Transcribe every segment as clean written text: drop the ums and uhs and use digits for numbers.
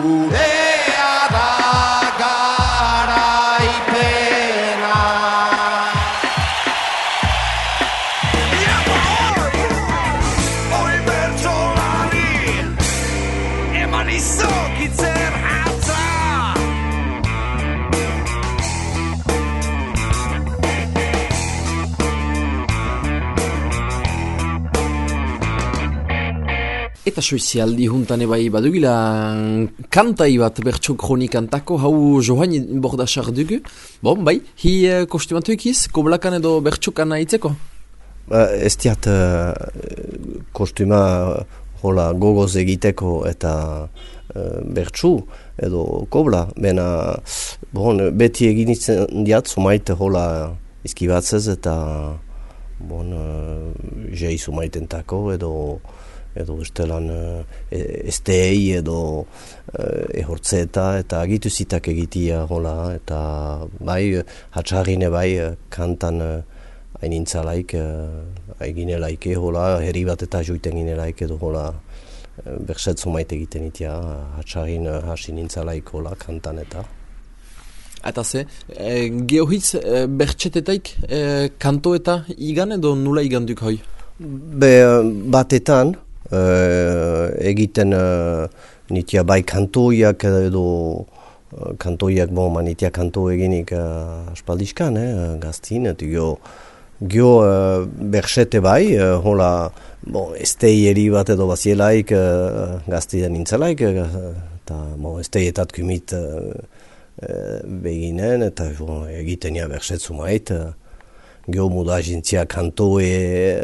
gurea da garaipena. Hoi bertsolari eman izokitzen hatza. Eta soizialdi juntan ebai badugila kantai bat bertso kronikantako hau Johan Bordasar dugu. Bon, bai, hi kostumatu ekiz, koblakan edo bertsokan aitzeko? Ez diat kostuma hola gogoz egiteko eta bertsu edo kobla. Bena, bon, beti egin itzen diat, sumait hola izkibatzez eta bon, jei sumaitentako edo estelan estei edo ehortzeta eta agitu zitak egitia hola eta bai hatxarrine bai kantan hainintza aiginelaik hola herri bat eta joiten ginelaik edo hola bersetzu maite egiten itia hatxarrin hasi nintzalaik hola kantan eta Eta ze, geohitz bertsetetaik kanto eta igan edo nula iganduk hoi? Batetan egiten nitia bai kantoiak edo kantoiak manitia kanto eginik aspaldiskan, gaztin, eta gio bersete bai, hola esteieri bat edo bazielaik gaztiden nintzelaik, eta esteietat kumit beginen, eta egiten ja bersetzu mait, gio muda jintzia kantoe,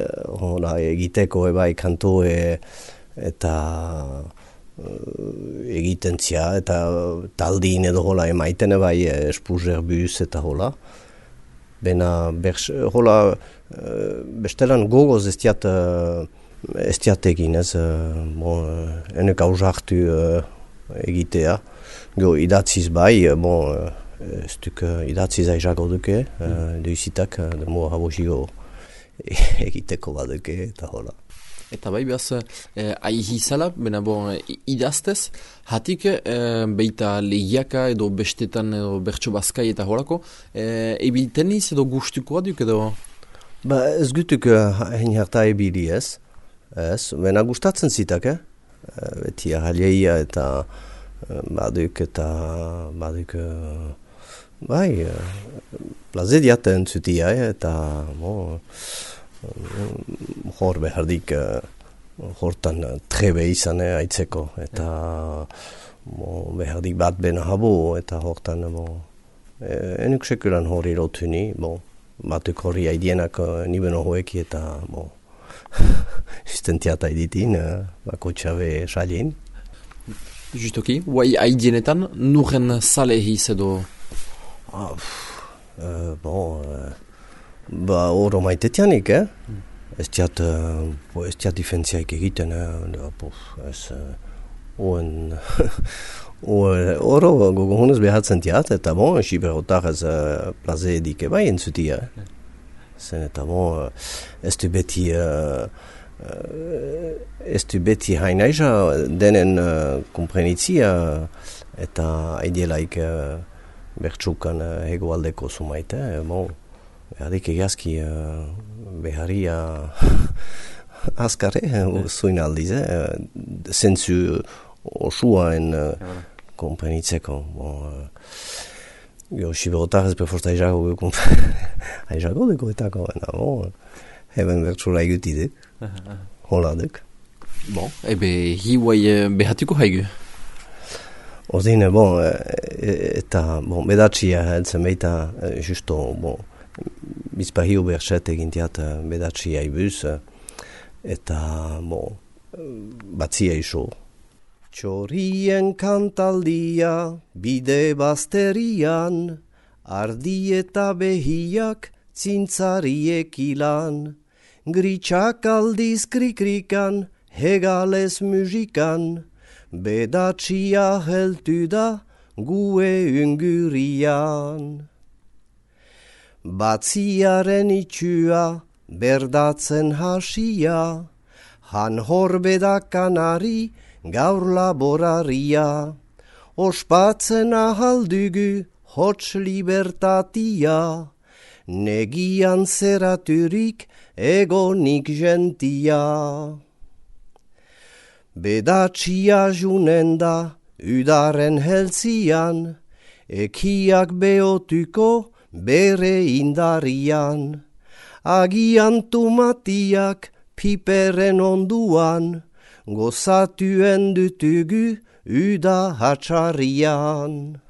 egiteko ebai kantoe eta egiten zia, eta taldin edo hola emaiten ebai espuzerbuz eta hola. Bena bestelan gogoz ez diat egin ez, enek hausartu egitea. Gio idatziz bai, ez duk idatziz aizago duke, duizitak, demo habosigo egiteko baduke eta hola. Eta bai behaz, aihizala, bena idaztez, hatik beita lehiaka edo bestetan edo bertso bazkai eta holako, ebiteniz edo gustukoa duk edo? Ez gutuk hein harta ebili ez, bena gustatzen zitak, beti ahaleia eta baduk bai, plaze diaten zutia, eta hor behardik hortan trebe izan aitzeko, eta behardik bat bena habo, eta hortan enuk sekulan hori rotuni, batuk hori haidienak nibeno hoeki, eta istentiata editin, bako txabe salien. Justoki, guai haidienetan, nuren sale hiz edo? Oro maitetianik, ez diat difentziaik egiten, oro gogo honez behatzen diat, eta siberotar ez plaze edike bai entzutia. Zen eta ez du beti hainaiza denen komprenitzia eta aidielaik bertsukan hegoaldeko sumaite, beharik egazki beharia azkare zuin aldiz, zentzu osuaen komprenitzeko. Siberotar ez beforta aizago duko etako, heben bertsula egutidek, holadek. Ebe hiuai behatuko haigu? Ordine, eta bedatxia heltzen beita, justo, bizpahio berset egintiat bedatxia ibuz, eta, batzia iso. Txorien kantaldia, bide bazterian, ardi eta behiak, zintzariek ilan, gritxak aldiz krikrikan, hegales musikan, bedatxia heltu da gue ungurian. Batziaren itxua berdatzen hasia, han horbedakanari gaur laboraria, ospatzen ahaldugu hots libertatia, negian zeraturik egonik gentia. Bedatxia junen da udaren heltzian, ekiak beotuko bere indarian, agian tumatiak piperen onduan, gozatuen dutugu uda hatxarian.